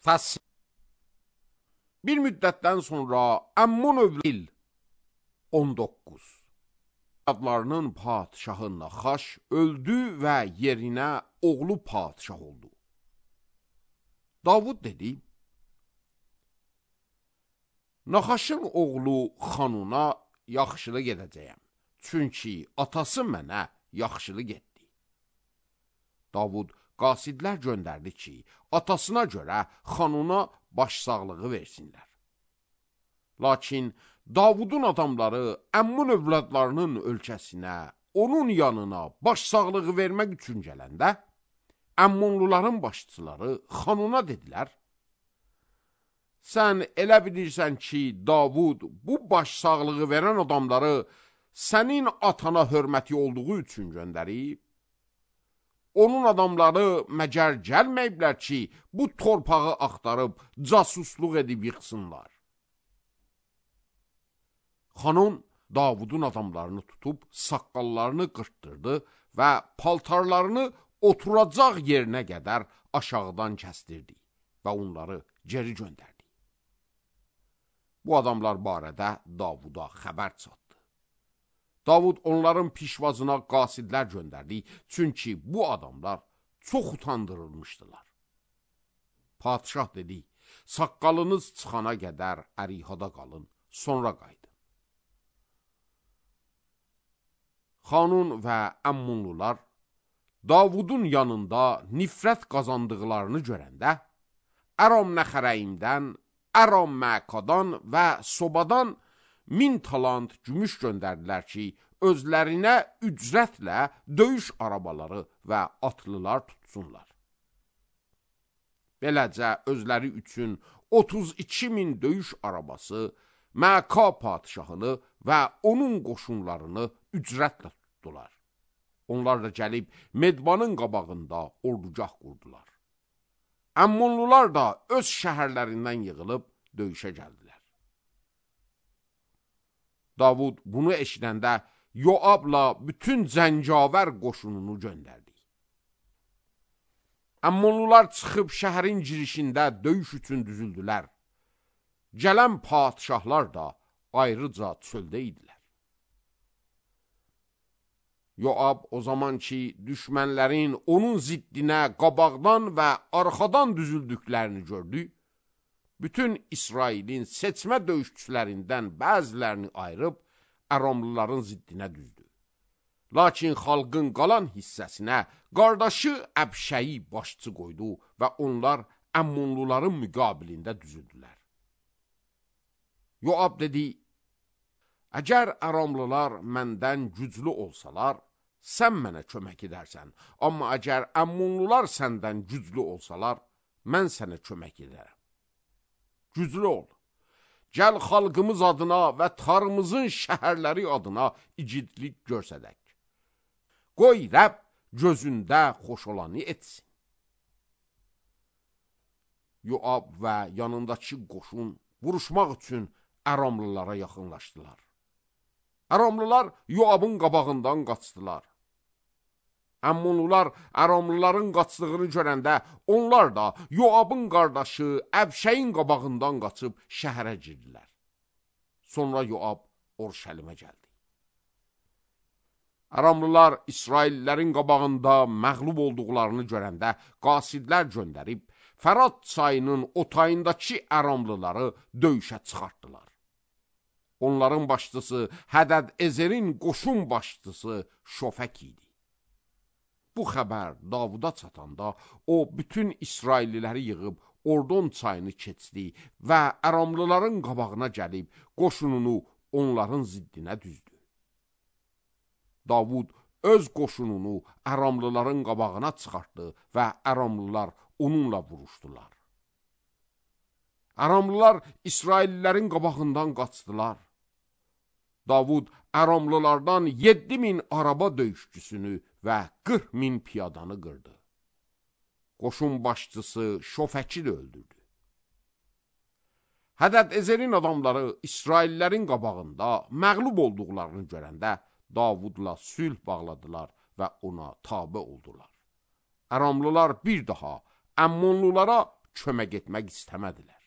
Təssil. Bir müddətdən sonra Əmmun övlil 19 adlarının padişahı Naxaş öldü və yerinə oğlu padişah oldu. Davud dedi, Naxaşın oğlu Xanuna yaxşılıq edəcəyəm, çünki atası mənə yaxşılıq etdi. Davud qasidlər göndərdi ki, atasına görə Xanuna başsağlığı versinlər. Lakin Davudun adamları Əmmun övladlarının ölkəsinə, onun yanına başsağlığı vermək üçün gələndə, Əmmunluların başçıları Xanuna dedilər, sən elə bilirsən ki, Davud bu başsağlığı verən adamları sənin atana hörməti olduğu üçün göndərib, onun adamları məgər gəlməyiblər ki, bu torpağı axtarıb, casusluq edib yıxsınlar. Xanun Davudun adamlarını tutub, saqqallarını qırtdırdı və paltarlarını oturacaq yerinə qədər aşağıdan kəsdirdi və onları geri göndərdi. Bu adamlar barədə Davuda xəbər çatdı. Davud onların pişvazına qasidlər göndərdi, çünki bu adamlar çox utandırılmışdılar. Padişah dedi, saqqalınız çıxana qədər ərihada qalın, sonra qayıdın. Xanun və Əmmunlular Davudun yanında nifrət qazandıqlarını görəndə, Əram Nəxərəyimdən, Əram Məkadan və Sobadan 1000 talant gümüş göndərdilər ki, özlərinə ücrətlə döyüş arabaları və atlılar tutsunlar. Beləcə özləri üçün 32.000 döyüş arabası, Məka padişahını və onun qoşunlarını ücrətlə tutdular. Onlar da gəlib Medbanın qabağında ordugah qurdular. Əmmunlular da öz şəhərlərindən yığılıb döyüşə gəldilər. Davud bunu eşidəndə Yoabla bütün zəncavər qoşununu göndərdi. Əmmunlular çıxıb şəhərin girişində döyüş üçün düzüldülər. Gələn padişahlar da ayrıca çöldə idilər. Yoab o zaman ki, düşmənlərin onun ziddinə qabaqdan və arxadan düzüldüklərini gördü, bütün İsrailin seçmə döyüşçülərindən bəzilərini ayırıb Əramlıların ziddinə düzdü. Lakin xalqın qalan hissəsinə qardaşı Əbşəyi başçı qoydu və onlar Əmmunluların müqabilində düzüldülər. Yoab dedi, əgər Əramlılar məndən güclü olsalar, sən mənə kömək edərsən, amma əgər Əmmunlular səndən güclü olsalar, mən sənə kömək edərəm. Güclü ol, gəl xalqımız adına və tarımızın şəhərləri adına igidlik görsədək. Qoy Rəbb gözündə xoş olanı etsin. Yoab və yanındakı qoşun vuruşmaq üçün Əramlılara yaxınlaşdılar. Əramlılar Yoabın qabağından qaçdılar. Əmmunlular Əramlıların qaçdığını görəndə onlar da Yoabın qardaşı Əbşəyin qabağından qaçıb şəhərə girdilər. Sonra Yoab Orşəlimə gəldi. Əramlılar İsraillərin qabağında məğlub olduqlarını görəndə qasidlər göndərib Fərat çayının otayındakı Əramlıları döyüşə çıxartdılar. Onların başçısı Hədəd Ezerin qoşun başçısı Şofək idi. Bu xəbər Davuda çatanda o bütün İsrailliləri yığıb Ordon çayını keçdi və Əramlıların qabağına gəlib qoşununu onların ziddinə düzdü. Davud öz qoşununu Əramlıların qabağına çıxartdı və Əramlılar onunla vuruşdular. Əramlılar İsraillilərin qabağından qaçdılar. Davud Əramlılardan 7.000 araba döyüşçüsünü və 40.000 piyadanı qırdı. Qoşun başçısı Şofəki də öldürdü. Hədəd Ezerin adamları İsraillilərin qabağında məğlub olduqlarını görəndə Davudla sülh bağladılar və ona tabe oldular. Əramlılar bir daha Əmmonlulara kömək etmək istəmədilər.